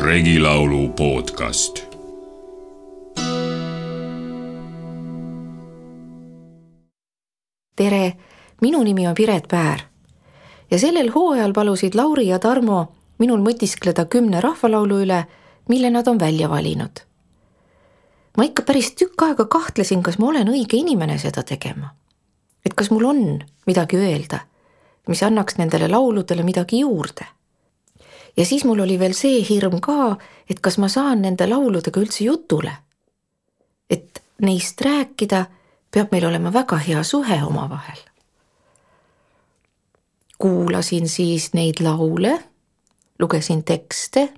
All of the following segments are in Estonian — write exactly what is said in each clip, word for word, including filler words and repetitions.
Regilaulu podcast. Tere, minu nimi on Piret Päär ja sellel hooajal palusid Lauri ja Tarmo minul mõtiskleda kümne rahvalaulu üle, mille nad on välja valinud. Ma ikka päris tükk aega kahtlesin, kas ma olen õige inimene seda tegema. Et kas mul on midagi öelda, mis annaks nendele lauludele midagi juurde. Ja siis mul oli veel see hirm ka, et kas ma saan nende lauludega üldse jutule. Et neist rääkida peab meil olema väga hea suhe omavahel. Kuulasin siis neid laule, lugesin tekste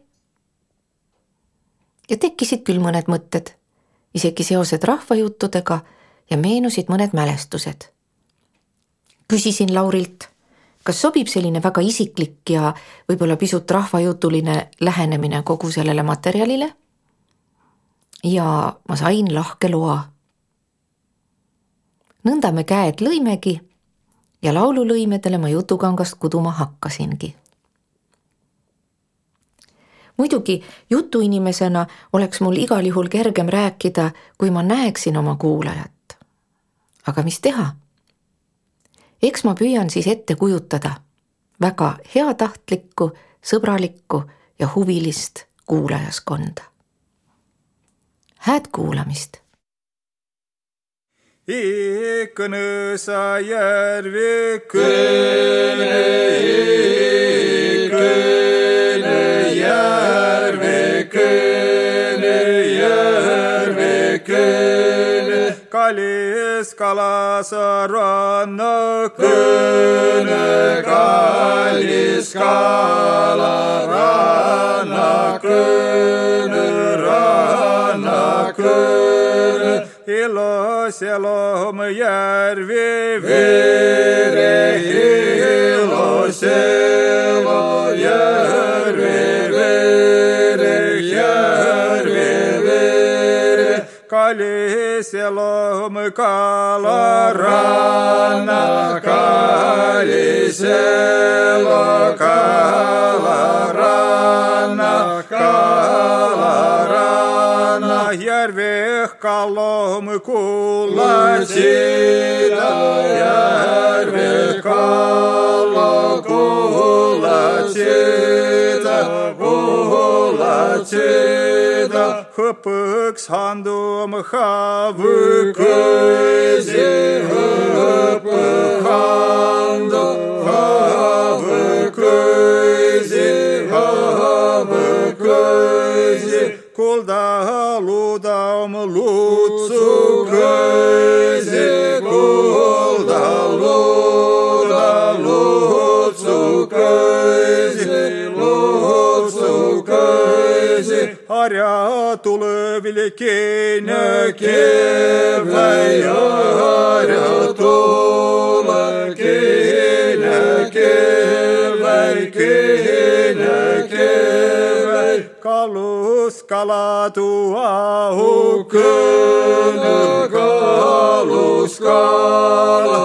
ja tekkisid küll mõned mõtted, isegi seosed rahvajuttudega ja meenusid mõned mälestused. Küsisin Laurilt, kas sobib selline väga isiklik ja võib-olla pisut rahvajutuline lähenemine kogu sellele materjalile? Ja ma sain lahke loa. Nõnda me käed lõimegi ja laululõimedele ma jutukangast kuduma hakkasingi. Muidugi jutuinimesena oleks mul igal juhul kergem rääkida, kui ma näeksin oma kuulajat. Aga mis teha? Eks ma püüan siis ette kujutada väga heatahtlikku, sõbralikku ja huvilist kuulajaskonda. Hääd kuulamist! Ikkõnõsa järvi kõne, ikkõne järvi kõne, järvi kõne. Kalis kalasa ranna kõne, kalis kala ranna kõne, ranna kõne. Ilos elom järvi vere, ilos elom järvi vere, järvi vere. Kalis elom kala ranna, kalis elom kala ranna, kala ranna. Järveh kalom kuulatsida, järveh kalom kuulatsida, kuulatsida. Hõpõks handum havõkõsi, hõpõk handum havõkõsi, havõkõsi. Kulda ludam lutsu kõisi, kulda ludam lutsu kõisi, lutsu kõisi. Harja tuleville keenä keväi, harja tule keenä keväi, keenä keväi. Kalus kalatu ahu kõne, kalus kala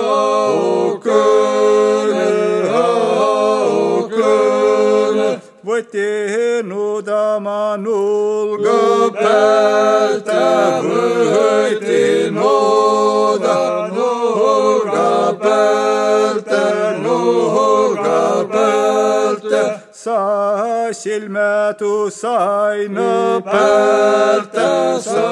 ahu kõne, ahu kõne. Võti nudama nulga päältä, võti nuda nulga päältä, nulga päältä. Sa silmätu saina päältä, sa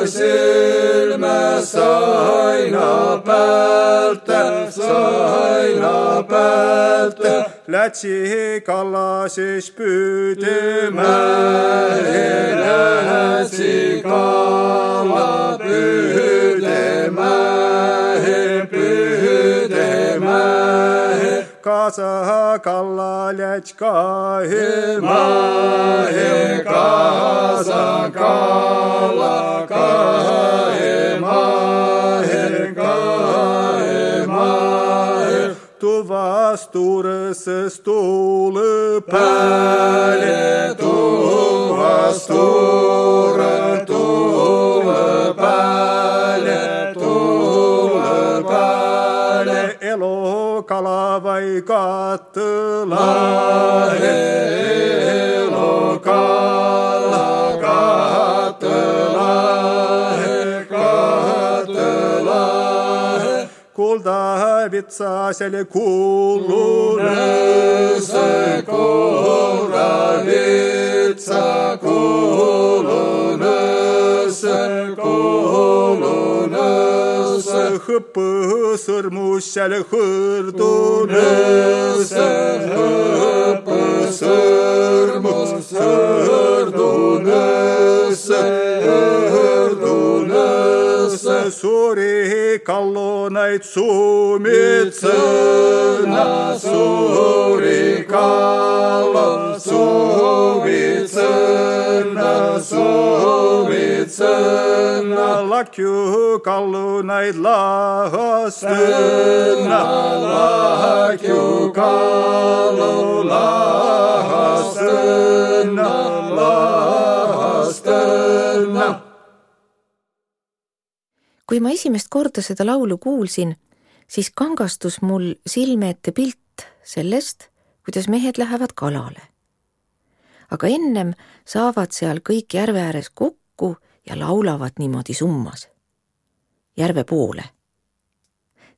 silmä saina päältä, saina päältä. Lätsi kallasis pyytemähe, lätsi kalla pyytemähe, pyytemähe. Kasa kalla lätskahe mahe, kasa kalla kahe mahe, kahe mahe. Tuvas tuurses tuule päälle, tuvas tuure tuule päälle, tuule päälle. Elo kalavai kattelahe, kuldavitsasele kuulunesse, kuldavitsa kuulunesse, kuulunesse, hõppõsõrmusele hõrdunesse, hõppõsõrmus hõrdunesse, hõrdunesse, suuri kallunaid sumitsõna, suuri kallu sumitsõna, sumitsõna, lakju kallunaid lahastõna, lakju kallu lahastõna, lahastõna. Kui ma esimest korda seda laulu kuulsin, siis kangastus mul silme ette pilt sellest, kuidas mehed lähevad kalale. Aga ennem saavad seal kõik järve ääres kokku ja laulavad niimoodi summas. Järve poole.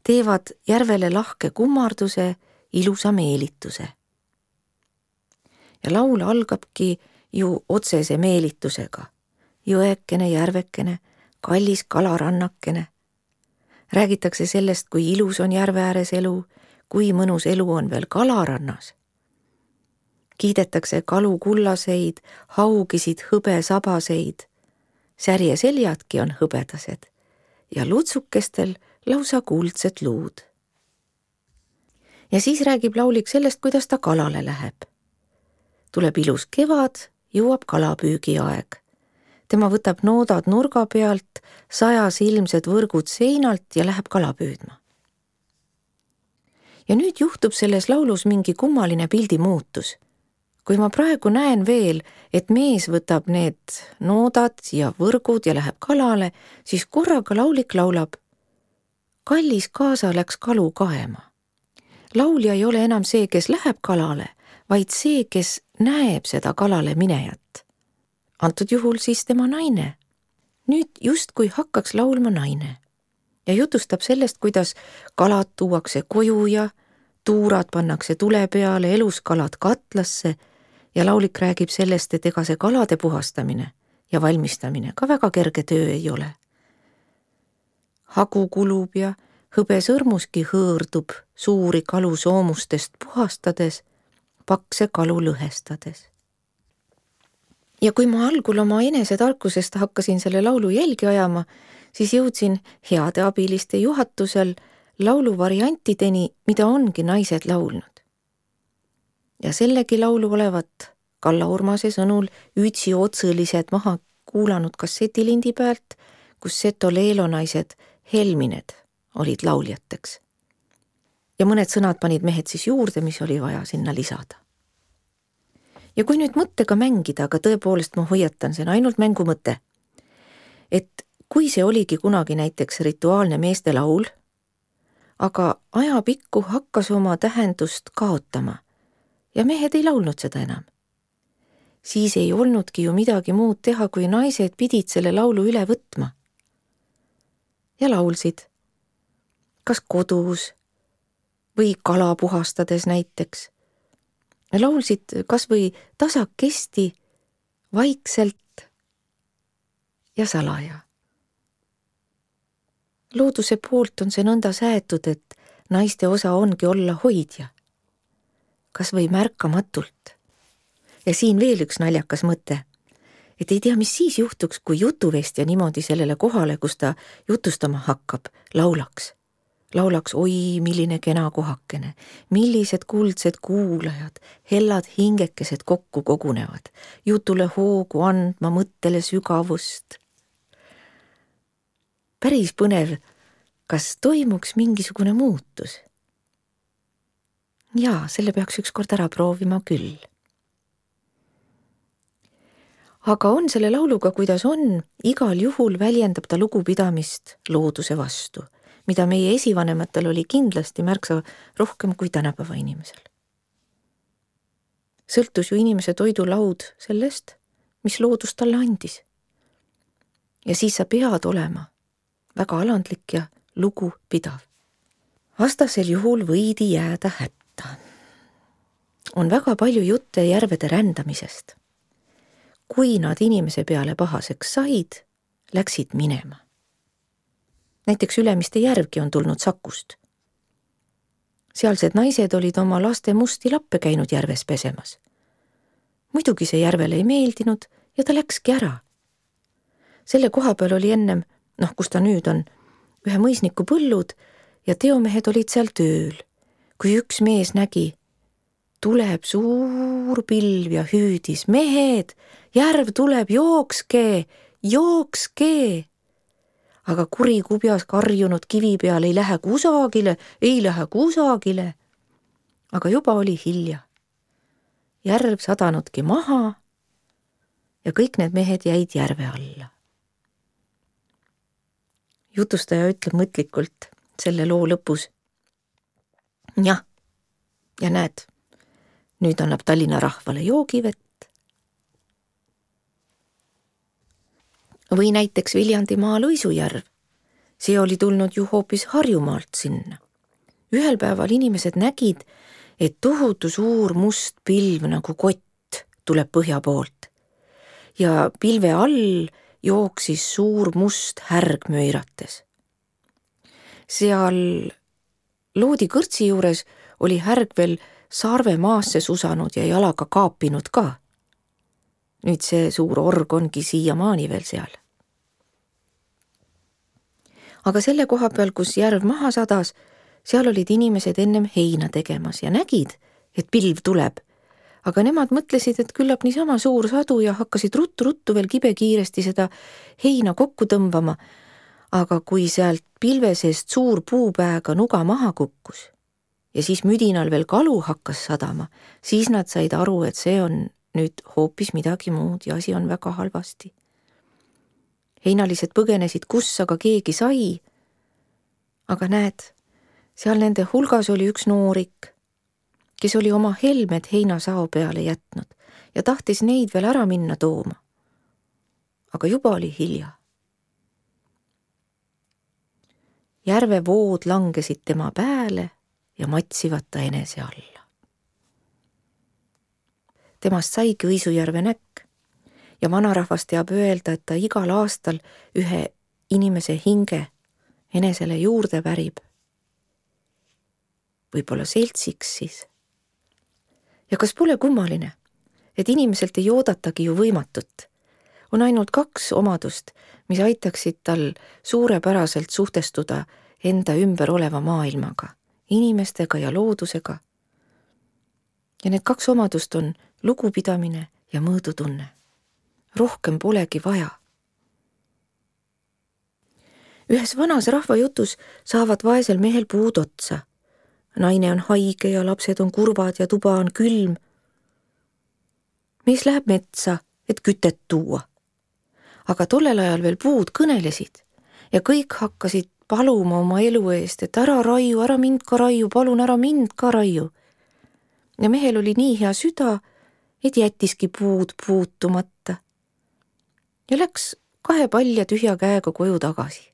Teevad järvele lahke kummarduse, ilusa meelituse. Ja laul algabki ju otsese meelitusega. Jõekene, järvekene, kallis kalarannakene. Räägitakse sellest, kui ilus on järve ääres elu, kui mõnus elu on veel kalarannas. Kiidetakse kalu kullaseid, haugisid hõbesabaseid. Särje seljadki on hõbedased ja lutsukestel lausa kuldsed luud. Ja siis räägib laulik sellest, kuidas ta kalale läheb. Tuleb ilus kevad, jõuab kalapüügi aeg. Tema võtab noodad nurga pealt, sajas ilmsed võrgud seinalt ja läheb kala püüdma. Ja nüüd juhtub selles laulus mingi kummaline pildi muutus. Kui ma praegu näen veel, et mees võtab need noodad ja võrgud ja läheb kalale, siis korraga laulik laulab: kallis kaasa läks kalu kaema. Laulja ei ole enam see, kes läheb kalale, vaid see, kes näeb seda kalale minejat. Antud juhul siis tema naine. Nüüd justkui hakkaks laulma naine ja jutustab sellest, kuidas kalad tuuakse koju ja tuurad pannakse tule peale, eluskalad katlasse ja laulik räägib sellest, et ega see kalade puhastamine ja valmistamine ka väga kerge töö ei ole. Hagu kulub ja hõbesõrmuski hõõrdub suuri kalu soomustest puhastades, pakse kalu lõhestades. Ja kui ma algul oma enesetarkusest hakkasin selle laulu jälgi ajama, siis jõudsin heade abiliste juhatusel laulu variantideni, mida ongi naised laulnud. Ja sellegi laulu olevat Kalla Urmase sõnul ütsi otsõlised maha kuulanud kassetilindi pealt, kus Seto leelonaised Helmined olid lauljateks. Ja mõned sõnad panid mehed siis juurde, mis oli vaja sinna lisada. Ja kui nüüd mõttega mängida, aga tõepoolest ma hoiatan, see on ainult mängu mõte, et kui see oligi kunagi näiteks rituaalne meeste laul, aga ajapikku hakkas oma tähendust kaotama ja mehed ei laulnud seda enam, siis ei olnudki ju midagi muud teha, kui naised pidid selle laulu üle võtma. Ja laulsid, kas kodus või kala puhastades näiteks. Laulsid kas või tasakesti, vaikselt ja salaja. Looduse poolt on see nõnda säätud, et naiste osa ongi olla hoidja, kas või märkamatult. Ja siin veel üks naljakas mõte, et ei tea, mis siis juhtuks, kui jutuvestja niimoodi sellele kohale, kus ta jutustama hakkab, laulaks. Laulaks, oi, milline kena kohakene, millised kuldsed kuulajad, hellad hingekesed kokku kogunevad, jutule hoogu andma, mõttele sügavust. Päris põnev, kas toimuks mingisugune muutus? Jaa, selle peaks ükskord ära proovima küll. Aga on selle lauluga, kuidas on, igal juhul väljendab ta lugupidamist looduse vastu, mida meie esivanematel oli kindlasti märksa rohkem kui tänapäeva inimesel. Sõltus ju inimese toidulaud sellest, mis loodus talle andis. Ja siis sa pead olema väga alandlik ja lugupidav. vastasel juhul võidi jääda hätta. On väga palju jutte järvede rändamisest. Kui nad inimese peale pahaseks said, läksid minema. Näiteks Ülemiste järvgi on tulnud Sakust. Sealsed naised olid oma laste musti lappe käinud järves pesemas. Muidugi see järvele ei meeldinud ja ta läkski ära. Selle koha peal oli ennem, noh, kus ta nüüd on, ühe mõisniku põllud ja teomehed olid seal tööl, kui üks mees nägi, tuleb suur pilv ja hüüdis, mehed, järv tuleb, jookske, jookske. Aga kuri kubjas karjunud kivi peal ei lähe kusagile, ei lähe kusagile. Aga juba oli hilja. Järv sadanudki maha ja kõik need mehed jäid järve alla. Jutustaja ütleb mõtlikult selle loo lõpus. Jah, ja näed, nüüd annab Tallinna rahvale joogivett. Või näiteks Viljandimaa Lõisujärv. See oli tulnud ju hoopis Harjumaalt sinna. Ühel päeval inimesed nägid, et tohutu suur must pilv nagu kott tuleb põhja poolt. Ja pilve all jooksis suur must härg möirates. Seal Loodi kõrtsi juures oli härg veel sarve maasse susanud ja jalaga kaapinud ka. Nüüd see suur org ongi siiamaani veel seal. Aga selle koha peal, kus järv maha sadas, seal olid inimesed ennem heina tegemas ja nägid, et pilv tuleb. Aga nemad mõtlesid, et küllap niisama suur sadu ja hakkasid ruttu-ruttu veel kibekiiresti seda heina kokku tõmbama. Aga kui sealt pilve seest suur puupääga nuga maha kukkus ja siis müdinal veel kalu hakkas sadama, siis nad said aru, et see on nüüd hoopis midagi muud ja asi on väga halvasti. Heinalised põgenesid, kus aga keegi sai. Aga näed, seal nende hulgas oli üks noorik, kes oli oma helmed heinasao peale jätnud ja tahtis neid veel ära minna tooma. Aga juba oli hilja. Järve vood langesid tema pääle ja matsivad ta enese alla. Temast saigi Õisujärve näkk ja vanarahvas teab öelda, et ta igal aastal ühe inimese hinge enesele juurde värib. Võib-olla seltsiks siis. Ja kas pole kummaline, et inimeselt ei oodatagi ju võimatut? On ainult kaks omadust, mis aitaksid tal suurepäraselt suhtestuda enda ümber oleva maailmaga, inimestega ja loodusega. Ja need kaks omadust on lugupidamine ja mõõdutunne. Rohkem polegi vaja. Ühes vanas rahvajutus saavad vaesel mehel puud otsa. Naine on haige ja lapsed on kurvad ja tuba on külm. Mees läheb metsa, et kütet tuua. Aga tollel ajal veel puud kõnelesid ja kõik hakkasid paluma oma elu eest, et ära raiu, ära mind ka raiu, palun ära mind ka raiu. Ja mehel oli nii hea süda, et jättiski puud puutumata. Ja läks kahe palja tühja käega koju tagasi.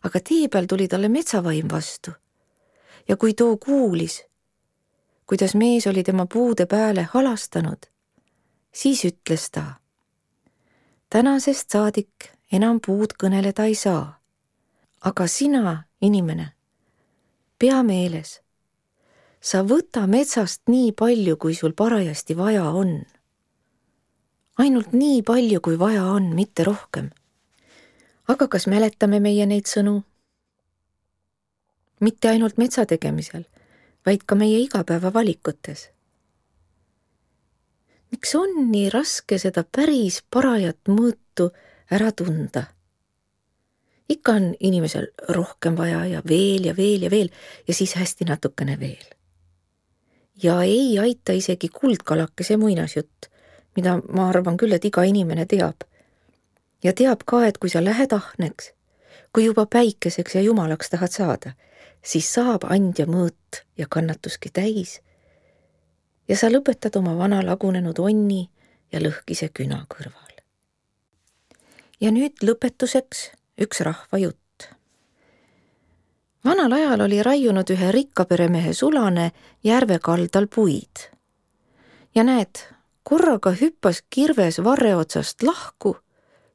Aga tee peal tuli talle metsavaim vastu. Ja kui too kuulis, kuidas mees oli tema puude pääle halastanud, siis ütles ta, tänasest saadik enam puud kõneleda ei saa. Aga sina, inimene, pea meeles, sa võta metsast nii palju, kui sul parajasti vaja on. Ainult nii palju, kui vaja on, mitte rohkem. Aga kas mäletame meie neid sõnu? Mitte ainult metsa tegemisel, vaid ka meie igapäeva valikutes. Miks on nii raske seda päris parajat mõõtu ära tunda? Ikka on inimesel rohkem vaja ja veel ja veel ja veel ja siis hästi natukene veel. Ja ei aita isegi kuldkalakese muinasjutt, mida ma arvan küll, et iga inimene teab. Ja teab ka, et kui sa lähed ahneks, kui juba päikeseks ja jumalaks tahad saada, siis saab andja mõõt ja kannatuski täis ja sa lõpetad oma vana lagunenud onni ja lõhkise küna kõrval. Ja nüüd lõpetuseks üks rahvajutt. vanal ajal oli raiunud ühe rikkaperemehe Sulane järve kaldal puid. Ja näed, korraga hüppas kirves varre otsast lahku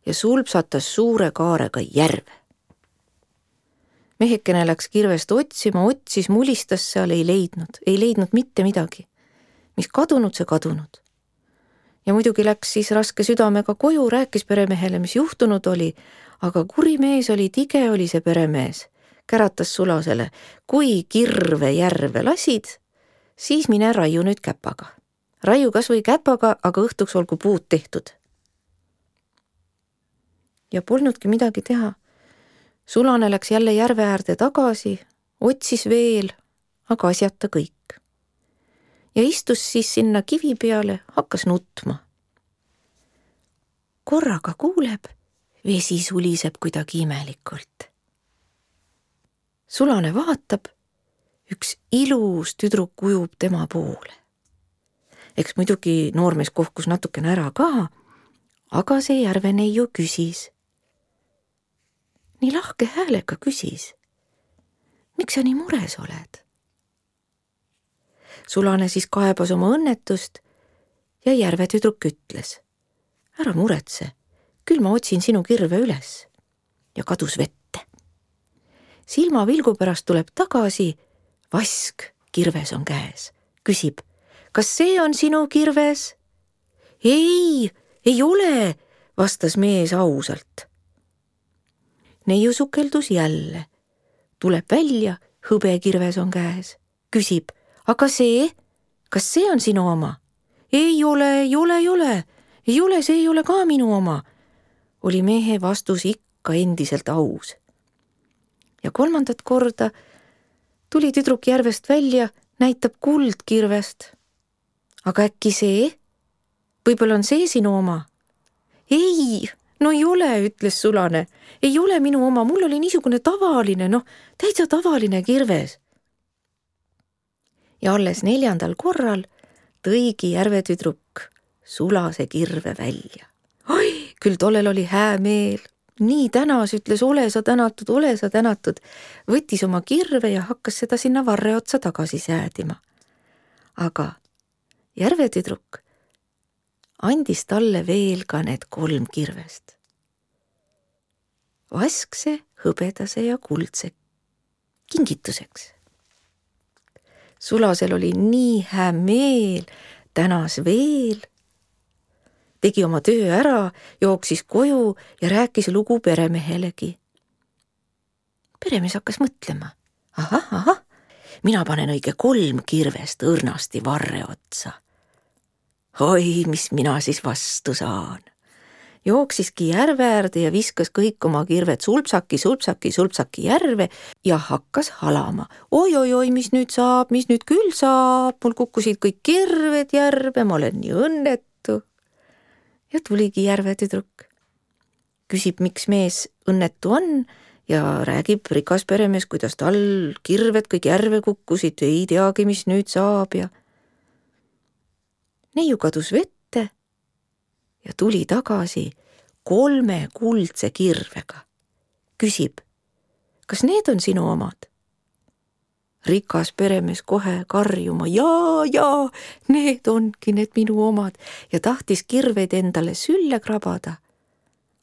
ja sulpsatas suure kaarega järve. Mehekene läks kirvest otsima, otsis, mulistas seal, ei leidnud, ei leidnud mitte midagi. Mis kadunud, see kadunud. Ja muidugi läks siis raske südamega koju, rääkis peremehele, mis juhtunud oli, aga kuri mees oli, tige oli see peremees. Käratas Sulasele, kui kirve järve lasid, siis mine raiu nüüd käpaga. Raiu kas või käpaga, aga õhtuks olgu puud tehtud. Ja polnudki midagi teha. Sulane läks jälle järve äärde tagasi, otsis veel, aga asjata kõik. Ja istus siis sinna kivi peale, hakkas nutma. Korraga kuuleb, vesi suliseb kuidagi imelikult. Sulane vaatab, üks ilus tüdruk ujub tema poole. Eks muidugi noormees kohkus natukene ära ka, aga see järveneiu küsis. Nii lahke häälega küsis. Miks sa nii mures oled? Sulane siis kaebas oma õnnetust ja järvetüdruk ütles. Ära muretse, küll ma otsin sinu kirve üles. Ja kadus vette. Silma vilgu pärast tuleb tagasi, vask kirves on käes. Küsib, kas see on sinu kirves? Ei, ei ole, vastas mees ausalt. Neiu sukeldus jälle. Tuleb välja, hõbekirves on käes. Küsib, aga see, kas see on sinu oma? Ei ole, ei ole, ei ole, ei ole, see ei ole ka minu oma. Oli mehe vastus ikka endiselt aus. Ja kolmandat korda tuli tüdruk järvest välja, näitab kuldkirvest. Aga äkki see? Võib-olla on see sinu oma? Ei, no ei ole, ütles Sulane. Ei ole minu oma, mul oli niisugune tavaline, noh, täitsa tavaline kirves. Ja alles neljandal korral tõigi järvetüdruk Sulase kirve välja. Oi, küll tollel oli hää meel. Nii tänas, ütles, ole sa tänatud, ole sa tänatud. Võttis oma kirve ja hakkas seda sinna varre otsa tagasi säädima. Aga järvetüdruk andis talle veel ka need kolm kirvest. Vaskse, hõbedase ja kuldse kingituseks. Sulasel oli nii hää meel, tänas veel, tegi oma töö ära, jooksis koju ja rääkis lugu peremehelegi. Peremees hakkas mõtlema. Ahah, ahah, mina panen õige kolm kirvest õrnasti varre otsa. Oi, mis mina siis vastu saan. Jooksiski järve äärde ja viskas kõik oma kirved sulpsaki, sulpsaki, sulpsaki järve ja hakkas halama. Oi, oi, oi, mis nüüd saab, mis nüüd küll saab, mul kukkusid kõik kirved järve, ma olen nii õnnetu. Ja tuligi järvetüdruk. Küsib, miks mees õnnetu on ja räägib rikas peremees, kuidas tal kirved kõik järve kukkusid, ei teagi, mis nüüd saab ja neiu kadus vette ja tuli tagasi kolme kuldse kirvega. Küsib, kas need on sinu omad? Rikas peremees kohe karjuma, jaa, jaa, need ongi need minu omad ja tahtis kirveid endale sülle krabada.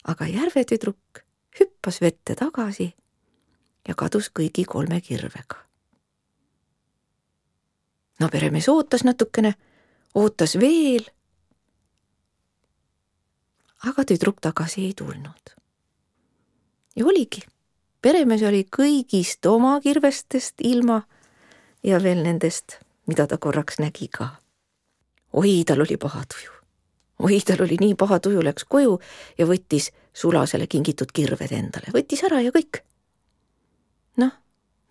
Aga järvetüdruk hüppas vette tagasi ja kadus kõigi kolme kirvega. No peremees ootas natukene, ootas veel, aga tüdruk tagasi ei tulnud. Ja oligi, peremees oli kõigist oma kirvestest ilma ja veel nendest, mida ta korraks nägi ka. Oi, tal oli paha tuju. Oi, tal oli nii paha tuju, läks koju ja võttis Sulasele kingitud kirved endale. Võttis ära ja kõik. Noh,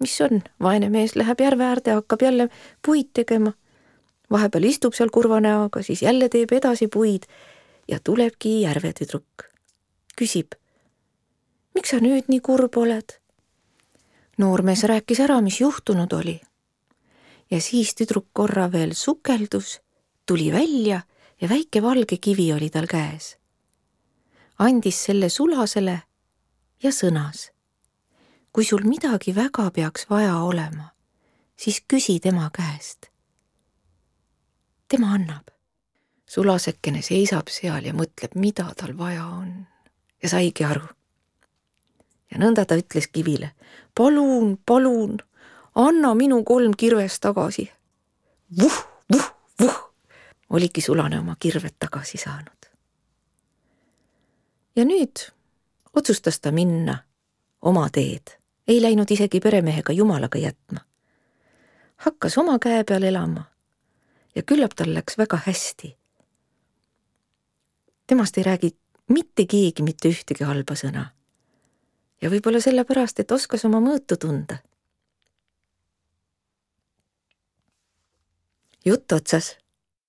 mis on? Vaene mees läheb järve äärde, hakkab jälle puid tegema. Vahepeal istub seal kurva näoga, siis jälle teeb edasi puid ja tulebki järvetüdruk. Küsib, miks sa nüüd nii kurb oled? Noormees rääkis ära, mis juhtunud oli. Ja siis tüdruk korra veel sukeldus, tuli välja ja väike valge kivi oli tal käes. Andis selle Sulasele ja sõnas. kui sul midagi väga peaks vaja olema, siis küsi tema käest. Tema annab. Sulasekene seisab seal ja mõtleb, mida tal vaja on. Ja saigi aru. Ja nõnda ta ütles kivile, palun, palun, anna minu kolm kirvest tagasi. Vuh, vuh, vuh. Oligi Sulane oma kirved tagasi saanud. Ja nüüd otsustas ta minna oma teed. Ei läinud isegi peremehega Jumalaga jätma. Hakkas oma käe peal elama ja küllap tal läks väga hästi. Temast ei räägi mitte keegi mitte ühtegi halba sõna. Ja võib-olla sellepärast, et oskas oma mõõtu tunda. Jutt otsas.